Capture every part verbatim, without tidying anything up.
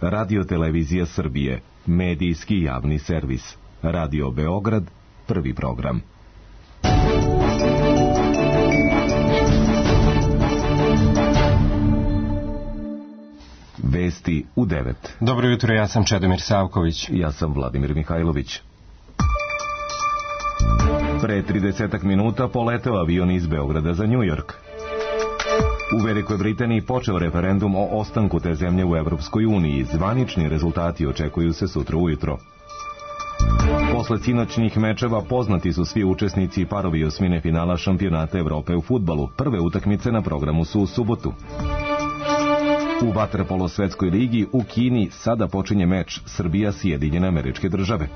Radio Televizija Srbije, medijski javni servis. Radio Beograd, prvi program. Vesti u devet. Dobro jutro, ja sam Čedomir Savković. Ja sam Vladimir Mihajlović. Pre tridesetak minuta poleteo avion iz Beograda za Njujork. U Velikoj Britaniji počeo referendum o ostanku te zemlje u Evropskoj uniji. Zvanični rezultati očekuju se sutra ujutro. Posle sinoćnih mečeva poznati su svi učesnici i parovi osmine finala šampionata Evrope u fudbalu. Prve utakmice na programu su u subotu. U vaterpolo svetskoj ligi u Kini sada počinje meč Srbija-Sjedinjene Američke Države.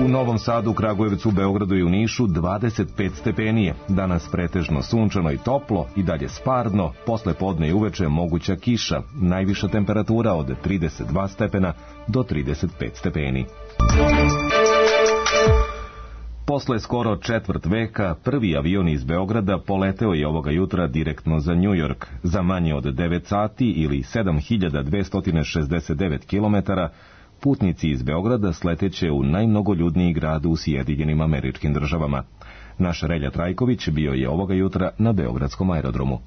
U Novom Sadu, Kragujevcu, Beogradu i u Nišu dvadeset pet stepenije. Danas pretežno sunčano i toplo, i dalje sparno, posle podne i uveče moguća kiša, najviša temperatura od trideset dva stepena do trideset pet stepeni. Posle skoro četvrt veka, prvi avion iz Beograda poleteo je ovoga jutra direktno za Njujork. Za manje od devet sati ili sedam hiljada dvesta šezdeset devet kilometara, putnici iz Beograda sleteće u najmnogoljudniji grad u Sjedinjenim Američkim Državama. Naš Relja Trajković bio je ovoga jutra na beogradskom aerodromu.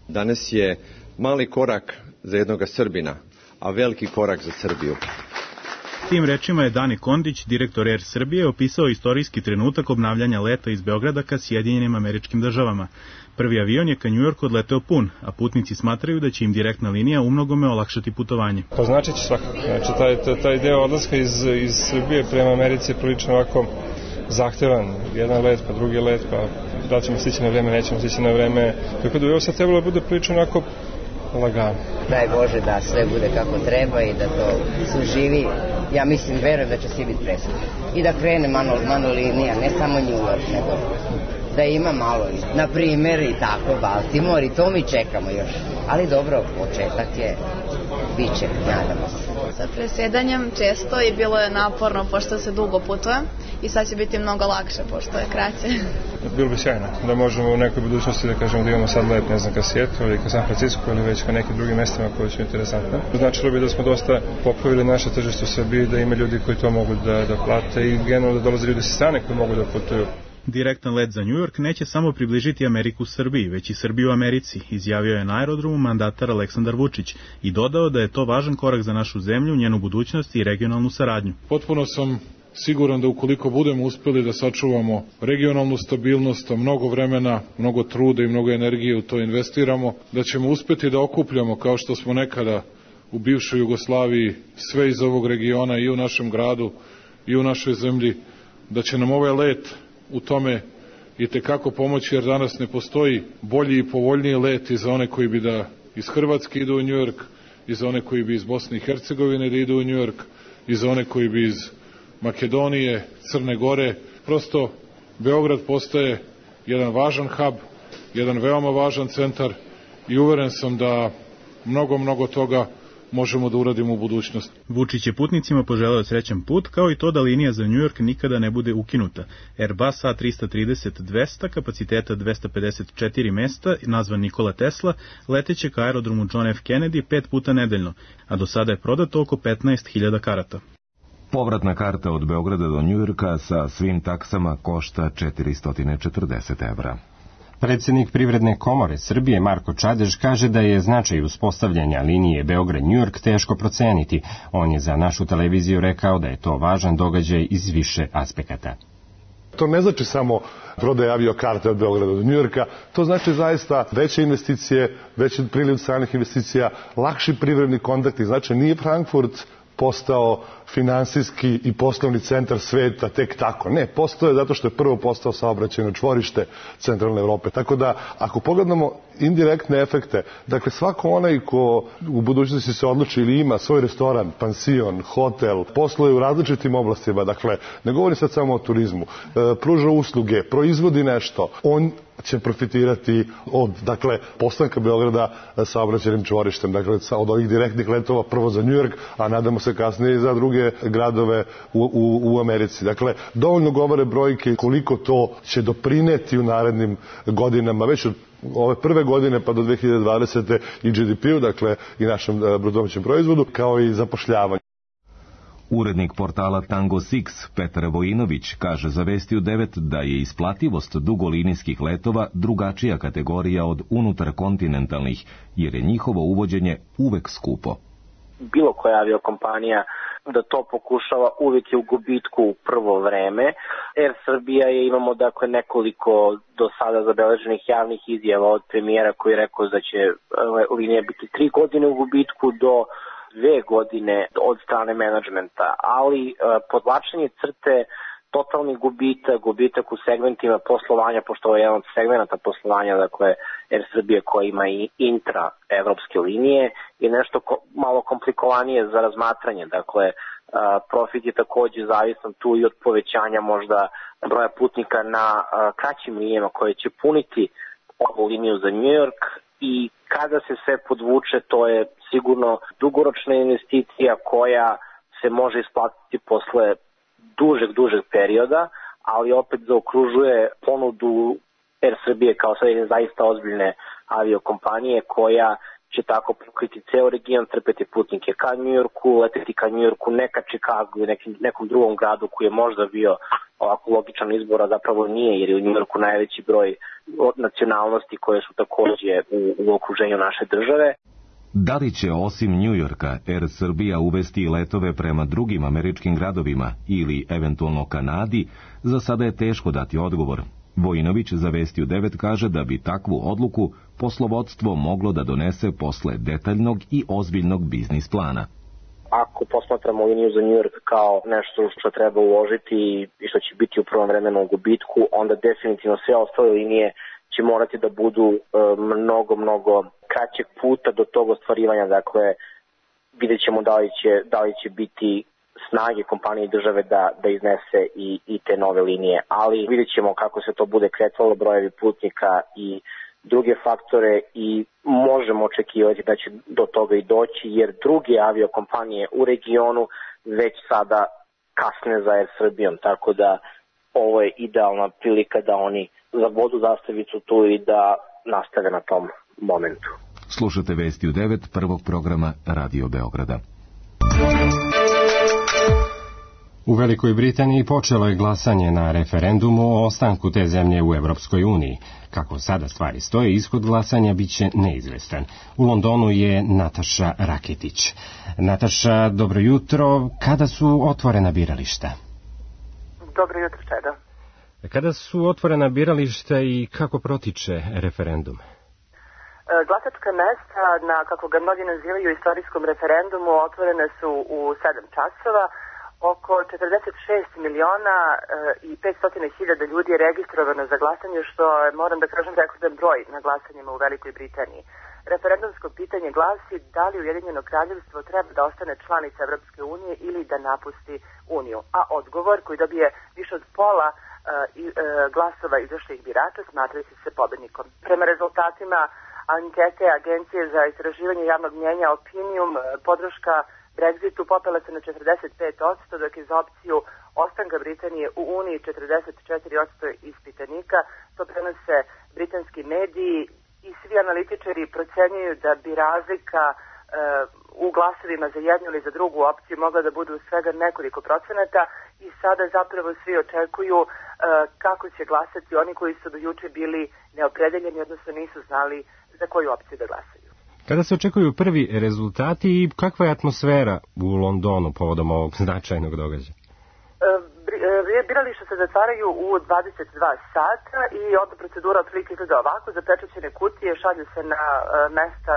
Danas je mali korak za jednoga Srbina, a veliki korak za Srbiju. Tim rečima je Dani Kondić, direktor Air Srbije, opisao istorijski trenutak obnavljanja leta iz Beograda ka Sjedinjenim Američkim Državama. Prvi avion je ka Njujorku odleteo pun, a putnici smatraju da će im direktna linija umnogome olakšati putovanje. To znači će svakako. Znači, taj, taj, taj deo odlaska iz, iz Srbije prema Americi je prilično ovako zahtevan. Jedan let, pa drugi let, pa da ćemo stići na vreme, nećemo stići na vreme. Tako da bi ovo sad trebalo bude prilično onako lagano. Daj Bože da sve bude kako treba i da to suživi. Ja mislim, verujem da će svi biti presretni. I da krene malo, malo linija, ne samo New York, nego da ima malo, na primjer, i tako, Baltimore, i to mi čekamo još. Ali dobro, početak je, bit će, nadamo se. Sa presjedanjem često i bilo je naporno, pošto se dugo putuje, i sad će biti mnogo lakše, pošto je kraće. Bilo bi sjajno, da možemo u nekoj budućnosti da kažemo da imamo sad let, ne znam, ka Sjetlu ili ka San Francisco ili već ka nekim drugim mestima koji su interesantne. Značilo bi da smo dosta popravili naše tržište u Srbiji, da ima ljudi koji to mogu da, da plate i generalno da dolaze ljudi sa strane koji mogu da putuju. Direktan let za Njujork neće samo približiti Ameriku Srbiji, već i Srbiju Americi, izjavio je na aerodromu mandatar Aleksandar Vučić i dodao da je to važan korak za našu zemlju, njenu budućnost i regionalnu saradnju. Potpuno sam siguran da ukoliko budemo uspeli da sačuvamo regionalnu stabilnost, mnogo vremena, mnogo truda i mnogo energije u to investiramo, da ćemo uspeti da okupljamo, kao što smo nekada u bivšoj Jugoslaviji, sve iz ovog regiona i u našem gradu i u našoj zemlji, da će nam ovaj let u tome i tekako pomoći, jer danas ne postoji bolji i povoljniji let i za one koji bi da iz Hrvatske idu u Njujork, i za one koji bi iz Bosne i Hercegovine da idu u Njujork, i za one koji bi iz Makedonije, Crne Gore. Prosto Beograd postaje jedan važan hub, jedan veoma važan centar i uveren sam da mnogo, mnogo toga možemo da uradimo u budućnosti. Vučić je putnicima poželeo srećan put, kao i to da linija za Njujork nikada ne bude ukinuta. Airbus A tri trideset dvesta, kapaciteta dvesta pedeset četiri mesta, nazvan Nikola Tesla, leteće ka aerodromu John F. Kennedy pet puta nedeljno, a do sada je prodato oko petnaest hiljada karata. Povratna karta od Beograda do Njujorka sa svim taksama košta četiristo četrdeset evra. Predsjednik Privredne komore Srbije Marko Čadež kaže da je značaj uspostavljanja linije Beograd-Njujork teško proceniti. On je za našu televiziju rekao da je to važan događaj iz više aspekata. To ne znači samo prodaje aviokarte od Beograda do Njujorka, to znači zaista veće investicije, veći priliv stranih investicija, lakši privredni kontakti. Znači nije Frankfurt postao finansijski i poslovni centar sveta tek tako. Ne, postao je zato što je prvo postao saobraćajno čvorište centralne Evrope. Tako da, ako pogledamo indirektne efekte, dakle svako onaj ko u budućnosti se odluči ili ima svoj restoran, pansion, hotel, posluje u različitim oblastima, dakle ne govori sad samo o turizmu, pruža usluge, proizvodi nešto, on će profitirati od, dakle, postanka Beograda saobraćajnim čvorištem, dakle, od ovih direktnih letova prvo za Njujork, a nadamo se kasnije i za druge gradove u, u, u Americi. Dakle, dovoljno govore brojke koliko to će doprineti u narednim godinama, već od ove prve godine pa do dve hiljade dvadesete i G D P-u, dakle i našem bruto domaćem proizvodu, kao i zapošljavanju. Urednik portala Tango Six, Petar Vojinović, kaže za Vestiju devet da je isplativost dugolinijskih letova drugačija kategorija od unutarkontinentalnih, jer je njihovo uvođenje uvek skupo. Bilo koja aviokompanija da to pokušava uvijek je u gubitku u prvo vreme. Air Srbija je, imamo dakle nekoliko do sada zabeleženih javnih izjava od premijera koji je rekao da će linija biti tri godine u gubitku do dve godine od strane menadžmenta, ali e, podvlačenje crte, totalni gubitak, gubitak u segmentima poslovanja, pošto je jedan od segmenta poslovanja, dakle Air Srbije koja ima i intra-evropske linije, je nešto ko, malo komplikovanije za razmatranje. Dakle, a, profit je takođe zavisan tu i od povećanja možda broja putnika na a, kraćim linijama koje će puniti ovu liniju za New York, i kada se sve podvuče, to je sigurno dugoročna investicija koja se može isplatiti posle dužeg, dužeg perioda, ali opet zaokružuje ponudu Air Srbije kao sad zaista ozbiljne aviokompanije koja će tako pokriti ceo region, trpeti putnike ka New Yorku, leteti ka New Yorku, ne ka Chicagu i nekim, nekom drugom gradu koji je možda bio ovako logičan izbor, a zapravo nije, jer je u New Yorku najveći broj nacionalnosti koje su takođe u, u okruženju naše države. Da li će osim New Yorka Air Srbija uvesti i letove prema drugim američkim gradovima ili eventualno Kanadi, za sada je teško dati odgovor. Vojinović za Vestiju devet kaže da bi takvu odluku poslovodstvo moglo da donese posle detaljnog i ozbiljnog biznis plana. Ako posmatramo liniju za New York kao nešto što treba uložiti i što će biti u prvom vremenu u gubitku, onda definitivno sve ostale linije će morati da budu e, mnogo, mnogo kraćeg puta do tog ostvarivanja. Dakle, vidjet ćemo da li će, da li će biti snage kompanije i države da, da iznese i, i te nove linije. Ali vidjet ćemo kako se to bude kretalo, brojevi putnika i druge faktore, i možemo očekivati da će do toga i doći, jer druge aviokompanije u regionu već sada kasne za Air Srbijom, tako da ovo je idealna prilika da oni zabodu zastavicu tu i da nastave na tom momentu. Slušate Vestiju devet, prvog programa Radio Beograda. U Velikoj Britaniji počelo je glasanje na referendumu o ostanku te zemlje u Evropskoj uniji. Kako sada stvari stoje, ishod glasanja biće neizvestan. U Londonu je Nataša Raketić. Nataša, dobro jutro. Kada su otvorena birališta? Dobro jutro, Čeda. Kada su otvorena birališta i kako protiče referendum? Glasačka mesta, na kako ga mnogi nazivaju istorijskom referendumu, otvorene su u sedam časova. Oko četrdeset šest miliona i petsto hiljada ljudi je registrovano za glasanje, što je, moram da kažem, rekordan broj na glasanjima u Velikoj Britaniji. Referendumsko pitanje glasi da li Ujedinjeno kraljevstvo treba da ostane članica Evropske unije ili da napusti Uniju. A odgovor, koji dobije više od pola glasova izašlih birača, smatra se pobednikom. Prema rezultatima ankete Agencije za istraživanje javnog mnjenja Opinium, podrška Brexitu popela se na četrdeset pet posto, dok je za opciju ostanka Britanije u Uniji četrdeset četiri posto ispitanika. To prenose britanski mediji i svi analitičari procenjuju da bi razlika e, u glasovima za jednu ili za drugu opciju mogla da budu svega nekoliko procenata, i sada zapravo svi očekuju e, kako će glasati oni koji su do juče bili neopredeljeni, odnosno nisu znali za koju opciju da glasaju. Kada se očekuju prvi rezultati i kakva je atmosfera u Londonu povodom ovog značajnog događaja? Birališta se zatvaraju u dvadeset dva sata i onda procedura otprilike izgleda ovako. Zapečaćene kutije šalju se na mesta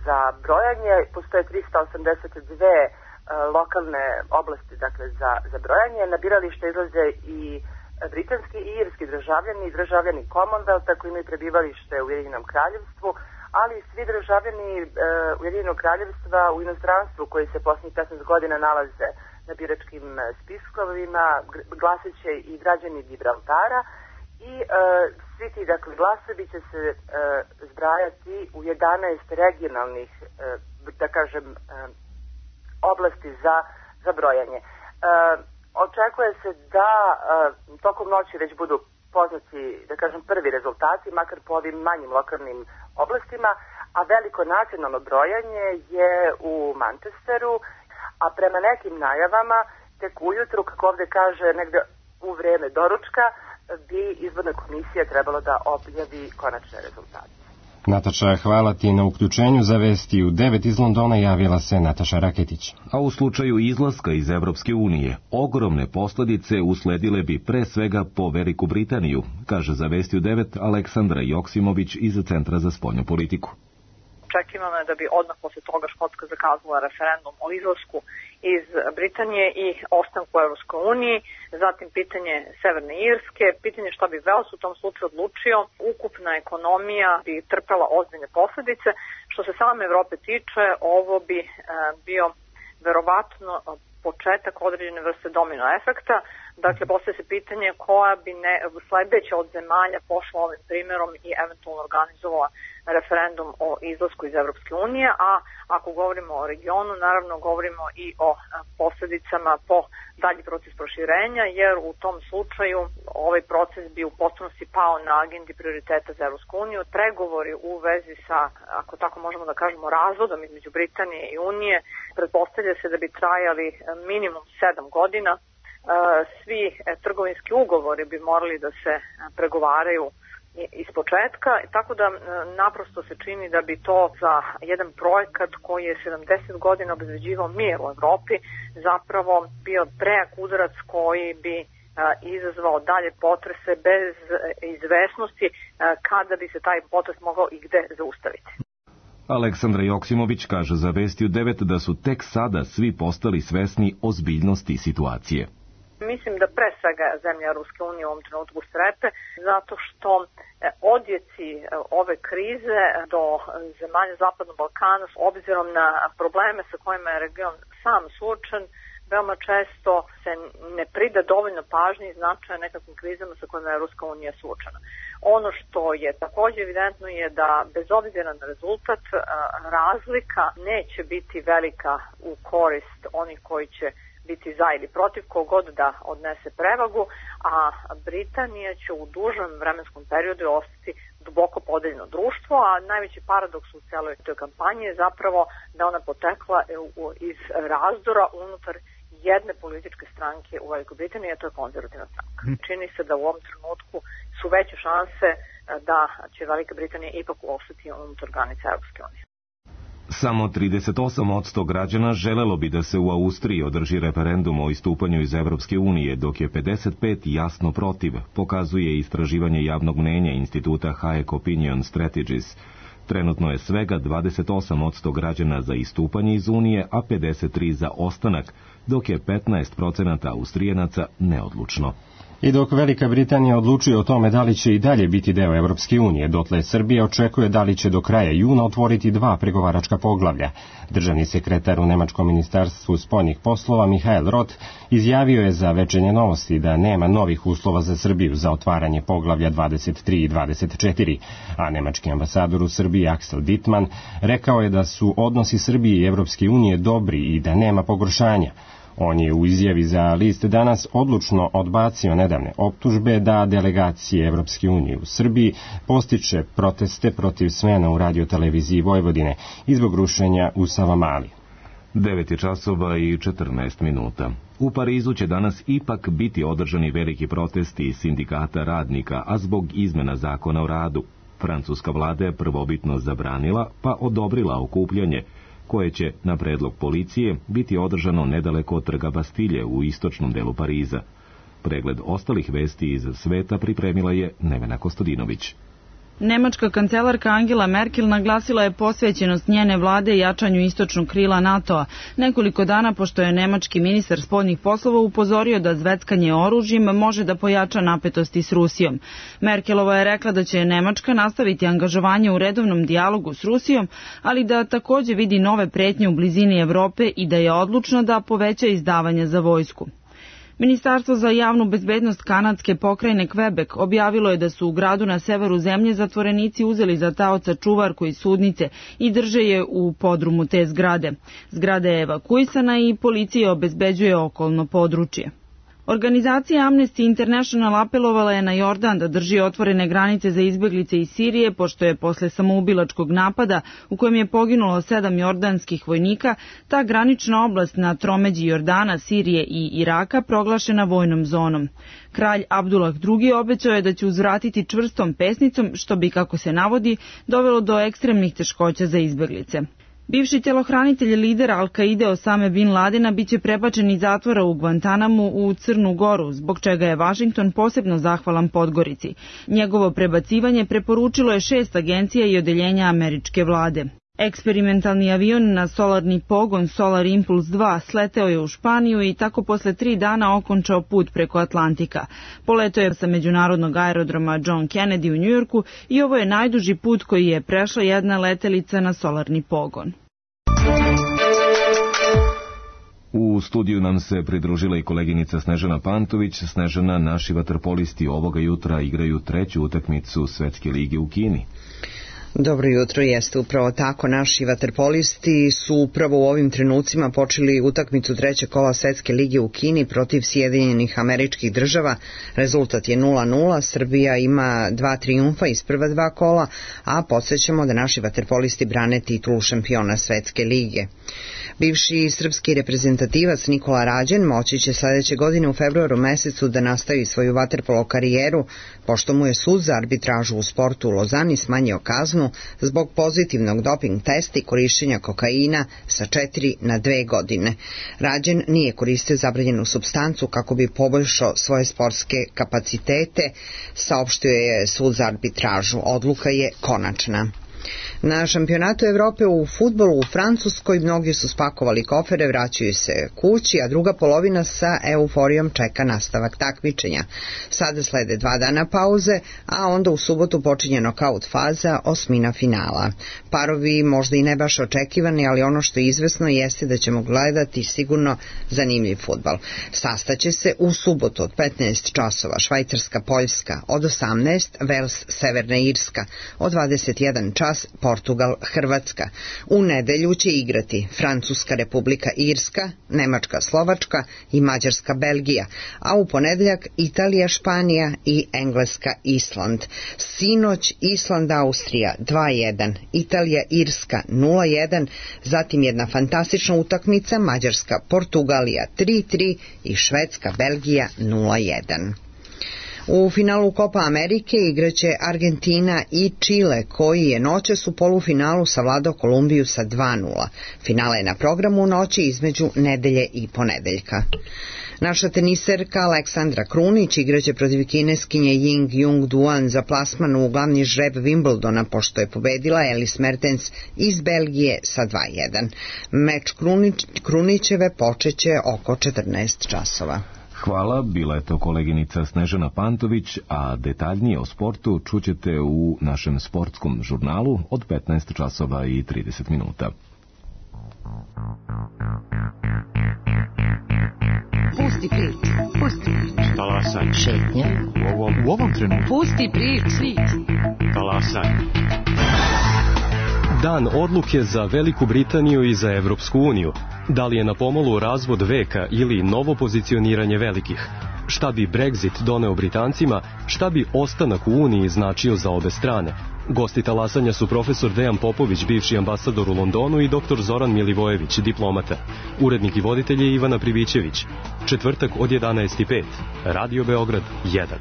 za brojanje. Postoje trista osamdeset dve lokalne oblasti, dakle, za, za brojanje. Na biralište izlaze i britanski i irski državljani i državljani Commonwealtha koji imaju prebivalište u Ujedinjenom kraljevstvu, ali svi državljani e, Ujedinjenog kraljevstva u inostranstvu koji se posljednjih petnaest godina nalaze na biračkim spiskovima, glasat će i građani Gibraltara, i e, svi ti, dakle, glasovi će se e, zbrajati u jedanaest regionalnih, e, da kažem, e, oblasti za, za brojanje. E, očekuje se da e, tokom noći već budu poznati, da kažem, prvi rezultati, makar po ovim manjim lokalnim oblastima, a veliko nacionalno brojanje je u Manchesteru, a prema nekim najavama tek ujutru, kako ovde kaže, negde u vreme doručka, bi izborna komisija trebalo da objavi konačne rezultate. Nataša, hvala ti na uključenju. Za vesti u devet iz Londona javila se Nataša Raketić. A u slučaju izlaska iz Evropske unije, ogromne posledice usledile bi pre svega po Veliku Britaniju, kaže za vesti u devet Aleksandra Joksimović iz Centra za spoljnu politiku. Očekivano je da bi odmah posle toga Škotska zakazala referendum o izlasku iz Britanije i ostanku u Evropskoj uniji, zatim pitanje Severne Irske, pitanje šta bi Vels u tom slučaju odlučio, ukupna ekonomija bi trpela ozbiljne posledice. Što se same Evrope tiče, ovo bi e, bio verovatno početak određene vrste domino efekta. Dakle, postoje se pitanje koja bi ne, sledeća od zemalja pošla ovim primjerom i eventualno organizovala referendum o izlasku iz Evropske unije, a ako govorimo o regionu, naravno govorimo i o posljedicama po dalji proces proširenja, jer u tom slučaju ovaj proces bi u potpunosti pao na agendi prioriteta za Evropsku uniju. Pregovori u vezi sa, ako tako možemo da kažemo, razvodom između Britanije i Unije, pretpostavlja se da bi trajali minimum sedam godina. Svi trgovinski ugovori bi morali da se pregovaraju iz početka, tako da naprosto se čini da bi to za jedan projekat koji je sedamdeset godina obezbeđivao mir u Evropi zapravo bio prejak udarac koji bi izazvao dalje potrese bez izvesnosti kada bi se taj potres mogao i gde zaustaviti. Aleksandra Joksimović kaže za vesti u devet da su tek sada svi postali svesni ozbiljnosti situacije. Mislim da pre svega zemlja Ruske unije u ovom trenutku strepe, zato što odjeci ove krize do zemalja Zapadnog Balkana, s obzirom na probleme sa kojima je region sam suočen, veoma često se ne prida dovoljno pažnje i značaja nekakvim krizama sa kojima je Ruska unija suočena. Ono što je također evidentno je da bez obzira na rezultat razlika neće biti velika u korist onih koji će biti za ili protiv, kogod da odnese prevagu, a Britanija će u dužem vremenskom periodu ostati duboko podeljeno društvo, a najveći paradoks u celoj toj kampanji je zapravo da ona potekla iz razdora unutar jedne političke stranke u Velikoj Britaniji, a to je konzervativna stranka. Čini se da u ovom trenutku su veće šanse da će Velika Britanija ipak ostati unutar granica Evropske unije. Samo trideset osam posto građana želelo bi da se u Austriji održi referendum o istupanju iz Evropske unije, dok je pedeset pet jasno protiv, pokazuje istraživanje javnog mnenja instituta Hayek Opinion Strategies. Trenutno je svega dvadeset osam posto građana za istupanje iz Unije, a pedeset tri za ostanak, dok je petnaest procenata Austrijenaca neodlučno. I dok Velika Britanija odlučuje o tome da li će i dalje biti deo Evropske unije, dotle Srbija očekuje da li će do kraja juna otvoriti dva pregovaračka poglavlja. Državni sekretar u Nemačkom ministarstvu spoljnih poslova Mihael Roth izjavio je za Večernje novosti da nema novih uslova za Srbiju za otvaranje poglavlja dvadeset tri i dvadeset četiri, a nemački ambasador u Srbiji Axel Dittmann rekao je da su odnosi Srbije i Evropske unije dobri i da nema pogoršanja. On je u izjavi za list Danas odlučno odbacio nedavne optužbe da delegacije Evropske unije u Srbiji postiče proteste protiv smena u radioteleviziji Vojvodine i zbog rušenja u Savamali. devet je časova i četrnaest minuta. U Parizu će danas ipak biti održani veliki protesti sindikata radnika, a zbog izmena zakona o radu. Francuska vlada je prvobitno zabranila, pa odobrila okupljanje, koje će, na predlog policije, biti održano nedaleko od trga Bastilje u istočnom delu Pariza. Pregled ostalih vesti iz sveta pripremila je Nevena Kostadinović. Nemačka kancelarka Angela Merkel naglasila je posvećenost njene vlade jačanju istočnog krila NATO-a, nekoliko dana pošto je nemački ministar spoljnih poslova upozorio da zveckanje oružjem može da pojača napetosti s Rusijom. Merkelova je rekla da će Nemačka nastaviti angažovanje u redovnom dijalogu s Rusijom, ali da također vidi nove pretnje u blizini Evrope i da je odlučna da poveća izdavanja za vojsku. Ministarstvo za javnu bezbednost kanadske pokrajine Quebec objavilo je da su u gradu na severu zemlje zatvorenici uzeli za taoca čuvarku iz sudnice i drže je u podrumu te zgrade. Zgrada je evakuisana i policija obezbeđuje okolno područje. Organizacija Amnesty International apelovala je na Jordan da drži otvorene granice za izbeglice iz Sirije, pošto je posle samoubilačkog napada u kojem je poginulo sedam jordanskih vojnika, ta granična oblast na tromeđi Jordana, Sirije i Iraka proglašena vojnom zonom. Kralj Abdullah drugi obećao je da će uzvratiti čvrstom pesnicom, što bi, kako se navodi, dovelo do ekstremnih teškoća za izbeglice. Bivši telohranitelj lidera Al-Kaide Osame Bin Ladena biće prebačen iz zatvora u Guantanamu u Crnu Goru, zbog čega je Vašington posebno zahvalan Podgorici. Njegovo prebacivanje preporučilo je šest agencija i odeljenja američke vlade. Eksperimentalni avion na solarni pogon Solar Impulse dva sleteo je u Španiju i tako posle tri dana okončao put preko Atlantika. Poletao je sa međunarodnog aerodroma John Kennedy u Njujorku i ovo je najduži put koji je prešla jedna letelica na solarni pogon. U studiju nam se pridružila i koleginica Snežana Pantović. Snežana, naši vaterpolisti ovoga jutra igraju treću utakmicu Svetske lige u Kini. Dobro jutro, jeste upravo tako. Naši vaterpolisti su upravo u ovim trenucima počeli utakmicu trećeg kola Svetske lige u Kini protiv Sjedinjenih Američkih Država. Rezultat je nula nula, Srbija ima dva trijumfa iz prva dva kola, a podsjećamo da naši vaterpolisti brane titulu šampiona Svetske lige. Bivši srpski reprezentativac Nikola Rađen moći će sledeće godine u februaru mesecu da nastavi svoju vaterpolo karijeru, pošto mu je sud za arbitražu u sportu u Lozani smanjio kaznu zbog pozitivnog doping testa i korišćenja kokaina sa četiri na dve godine. Rađen nije koristio zabranjenu supstancu kako bi poboljšao svoje sportske kapacitete, saopštio je sud za arbitražu. Odluka je konačna. Na šampionatu Evrope u fudbalu u Francuskoj mnogi su spakovali kofere, vraćaju se kući, a druga polovina sa euforijom čeka nastavak takmičenja. Sada slede dva dana pauze, a onda u subotu počinje nokaut faza, osmina finala. Parovi možda i ne baš očekivani, ali ono što je izvesno jeste da ćemo gledati sigurno zanimljiv fudbal. Sastaće se u subotu od petnaest časova Švajcarska-Poljska, od osamnaest Vels-Severna Irska, od dvadeset jedan čas Portugal-Hrvatska. U nedelju će igrati Francuska Republika Irska, Nemačka Slovačka i Mađarska Belgija, a u ponedeljak Italija Španija i Engleska Island. Sinoć Island Austrija dva jedan, Italija Irska nula jedan, zatim jedna fantastična utakmica Mađarska Portugalija tri tri i Švedska Belgija nula jedan. U finalu Kopa Amerike igraće Argentina i Čile, koji je noćas u polufinalu savladao Kolumbiju sa dva nula. Finale je na programu noći između nedelje i ponedeljka. Naša teniserka Aleksandra Krunić igraće protiv kineskinje Ying Jung Duan za plasman u glavni žreb Wimbledona, pošto je pobedila Elise Mertens iz Belgije sa dva jedan. Meč Krunić, Krunićeve počeće oko četrnaest časova. Hvala, bila je to koleginica Snežana Pantović, a detaljnije o sportu čućete u našem sportskom žurnalu od petnaest časova i trideset minuta. Pusti priču, pusti priču. Talasaj. Šetnja. U ovom, u ovom trenutku. Pusti priču. Talasaj. Dan odluke za Veliku Britaniju i za Evropsku uniju. Da li je na pomolu razvod veka ili novo pozicioniranje velikih? Šta bi Brexit doneo Britancima? Šta bi ostanak u Uniji značio za obe strane? Gosti talasanja su profesor Dejan Popović, bivši ambasador u Londonu, i doktor Zoran Milivojević, diplomata. Urednik i voditelj je Ivana Pribićević. Četvrtak od jedanaest i pet. Radio Beograd jedan.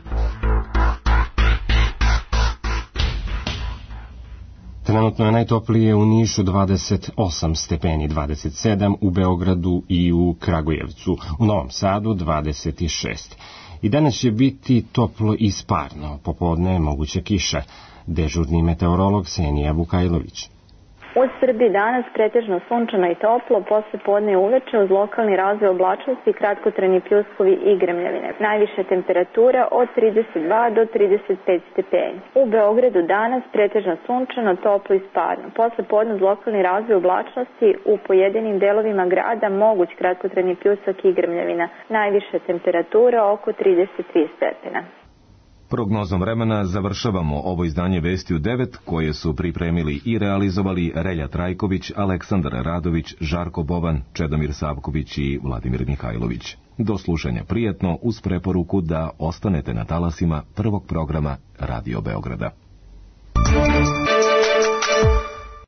Trenutno je najtoplije u Nišu dvadeset osam stepeni, dvadeset sedam u Beogradu i u Kragujevcu, u Novom Sadu dvadeset šest. I danas će biti toplo i sparno, popodne je moguća kiša. Dežurni meteorolog Senija Vukajlović. U Srbiji danas pretežno sunčano i toplo, posle podne i uveče uz lokalni razvoj oblačnosti, kratkotrajni pljuskovi i grmljavine. Najviša temperatura od trideset dva do trideset pet stepeni. U Beogradu danas pretežno sunčano, toplo i sparno. Posle podne uz lokalni razvoj oblačnosti u pojedinim delovima grada moguć kratkotrajni pljusak i grmljavina. Najviša temperatura oko trideset tri stepena. Prognozom vremena završavamo ovo izdanje Vesti u devet, koje su pripremili i realizovali Relja Trajković, Aleksandar Radović, Žarko Bovan, Čedomir Savković i Vladimir Mihajlović. Do slušanja prijetno uz preporuku da ostanete na talasima prvog programa Radio Beograda.